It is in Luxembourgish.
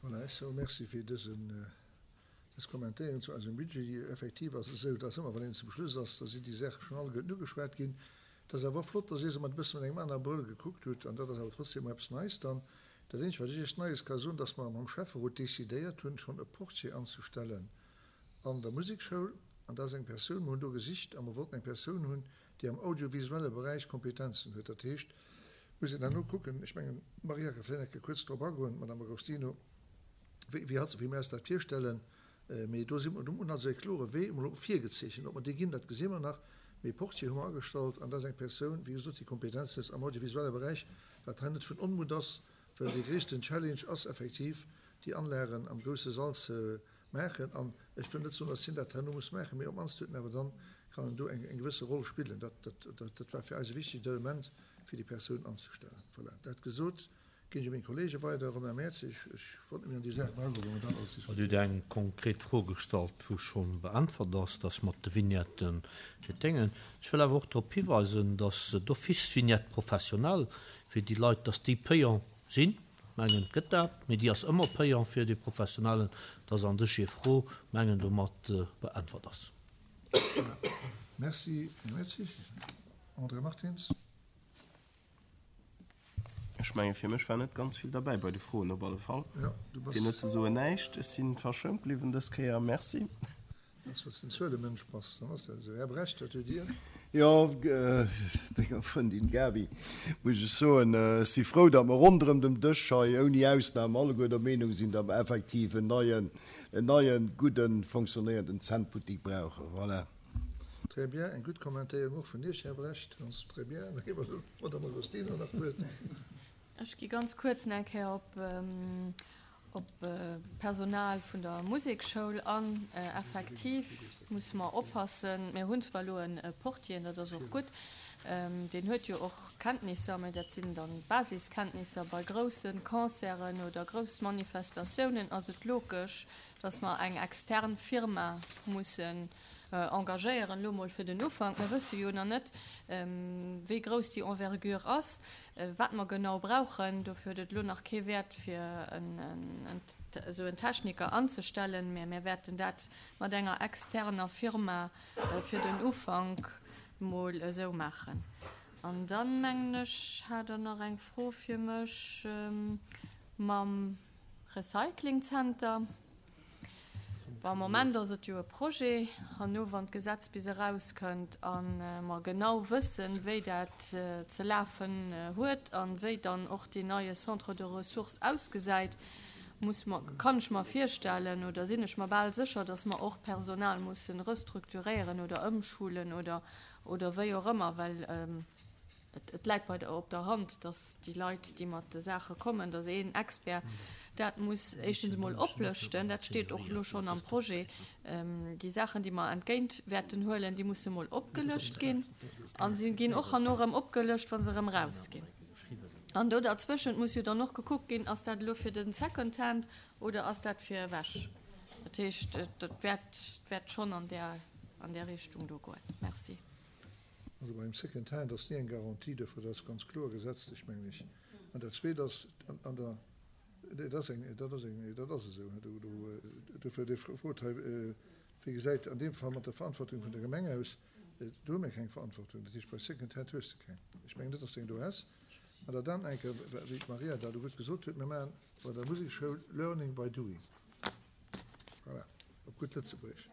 Voilà, ech soe Merci fir dësen, dës Kommentéierung zu eisem Budget. Effektiv ass et esou, dass ëmmer wann een zum Schluss ass, da sinn déi Saache schonn alleguerten ugeschwat ginn. Et ass awer och flott, dass Dir se mat e bësse mat engem anere Brëll gekuckt hutt an dat ass awer trotzdem och eppes Neies dann. Dat eenzegt, wat ech Iech Neies ka soen, dass mer mam Schäfferot decidéiert hunn, schonn e Portier anzestellen an der Musekschoul. An dat ass eng Persoun, mer hunn do gesicht a mer wollten eng Persoun hunn, déi am audiovisuelle Beräich Kompetenzen huet. Dat heescht, muss een herno kucken, ech mengen, d'Maria ka vläicht nach eng Kéier kuerz drop agoen, d'Madame Agostino, wéi, wéi hatt, wéi mir eis dat virstellen. Mee do si mer, do hunn also e klore Wee emol virgezeechent. Ob mer dee ginn, dat gesi mer nach. Mee Portier hu mer agestallt an dat ass eng Persoun, wéi gesot, déi Kompetenzen huet am audiovisuelle Beräich, wat hei net vun Onmutt ass, well dee gréissten Challenge ass effektiv, déi Anlagen am grousse Sall ze maachen. An ech wëll net soen, datt hien dat herno muss maachen, mee op d'mannst huet en awer dann, kann en do eng gewësse Roll spillen. Dat, dat, dat war fir eis e wichtegt Element, fir déi Persoun anzestellen. Voilà, dat gesot. Ginn ech u meng Kollege weider. Romain Mertzig, Ech wollt net méi an déi Saachen agoen, wou mer dann alles Dir hutt eng konkret Fro gestallt, wou scho beäntwert ass, dass mat de Vignetten fir d'Déngen. Ech wëll awer och drop hiweisen, dass d'office d'Vignette professionnelle fir déi Leit, dass déi payant sinn. Mengen, et gëtt dat, mee déi ass ëmmer payant fir dee Professionellen, dass an sech Är Fro, mengen, domat beäntwert ass. Merci, Här Mertzig. André Martins. Ech menge fir mech war net ganz vill derbäi bei de Froen, op alle Fall, fir net ze soen näischt. Ech si verschount bliwwen dës Kéier. Merci. Dass wann s de en Zuelemënsch bass, dann ass dat esou. Här Brecht, wat hutt Dir? Jo, menger Frëndin Gaby muss ech soen, ech si frou, datt mer ronderëm dem Dësch hei ouni Ausnam alleguer der Meenung sinn, datt mer effektiv en neien, en neien, gudden, fonctionnéierenden Zännbuttik brauchen. Voilà. Très bien, eng gutt Kommentéierung och vun Iech, Här Brecht. Ganz très bien. Da gi mer der Madame Agostino nach d'Wuert. Ech gi ganz kuerz nach eng Kéier op op d'Personal vun der Musekschoul an. Effektiv musse mer oppassen, mir hunn zwar elo e Portier, dat ass och gutt, deen huet jo och Kenntnisser, mä dat sinn dann Basiskenntnisser. Bei grousse Concerten oder grouss Manifestatiounen ass et logesch, dass mer eng extern Firma mussen engagéieren, elo mol fir den Ufank. Mir wësse jo nach net, wéi grouss déi Envergure ass, wat mer genau brauchen. Dofir huet et elo nach kee Wäert, fir esou en Techniker anzestellen, mä mir wäerten dat mat enger externer Firma fir den Ufank mol esou maachen. An dann, mengen ech, hat Der nach eng Fro fir mech mam Recyclingzenter. Bon, am Moment ass et jo e Projet. Herno, wann d'Gesetz bis erauskënnt a mer genau wëssen, wéi dat ze lafen huet a wéi dann och deen neie Centre de ressources ausgesäit, muss mer, kann ech mer virstellen oder sinn ech mer bal sécher, dass mer och Personal mussen restrukturéieren oder ëmschulen oder, oder wéi och ëmmer, well Et läit bei der op der Hand, datt déi Leit, déi mat de Saache kommen, datt een Expert dat muss éischtens emol oplëschten. Dat steet och elo schonn am Projet. Déi Saachen, déi mer entgéint wäerten huelen, déi musse mol opgelëscht ginn. A si ginn och herno erëm opgelëscht, wa se erëm erausginn. An do derzwëschent muss jo dann och gekuckt ginn, Ass dat elo fir de Secondhand oder ass dat fir ewech? Dat heescht, et wäert schonn an där Richtung do goen. Merci. Also beim Second Hand ass ni eng Garantie dofir, dat ass ganz kloer gesetzlech, mengen ech. An dat Zweet ass, an der, dat ass eng, dat ass eng, dat ass esou, do, do, dofir Dir frot hei, wéi gesäit an deem Fall mat der Verantwortung vun der Gemeng aus? Do hu mir keng Verantwortung. Dat heescht, bei Second Hand hues de keng. Ech mengen net, dass de eng do häss. An der dann enke, wéi d'Maria dat elo gutt gesot huet, mir maachen bei der Musekschoul Learning by doing. Voilà, op gutt Lëtzebuergesch.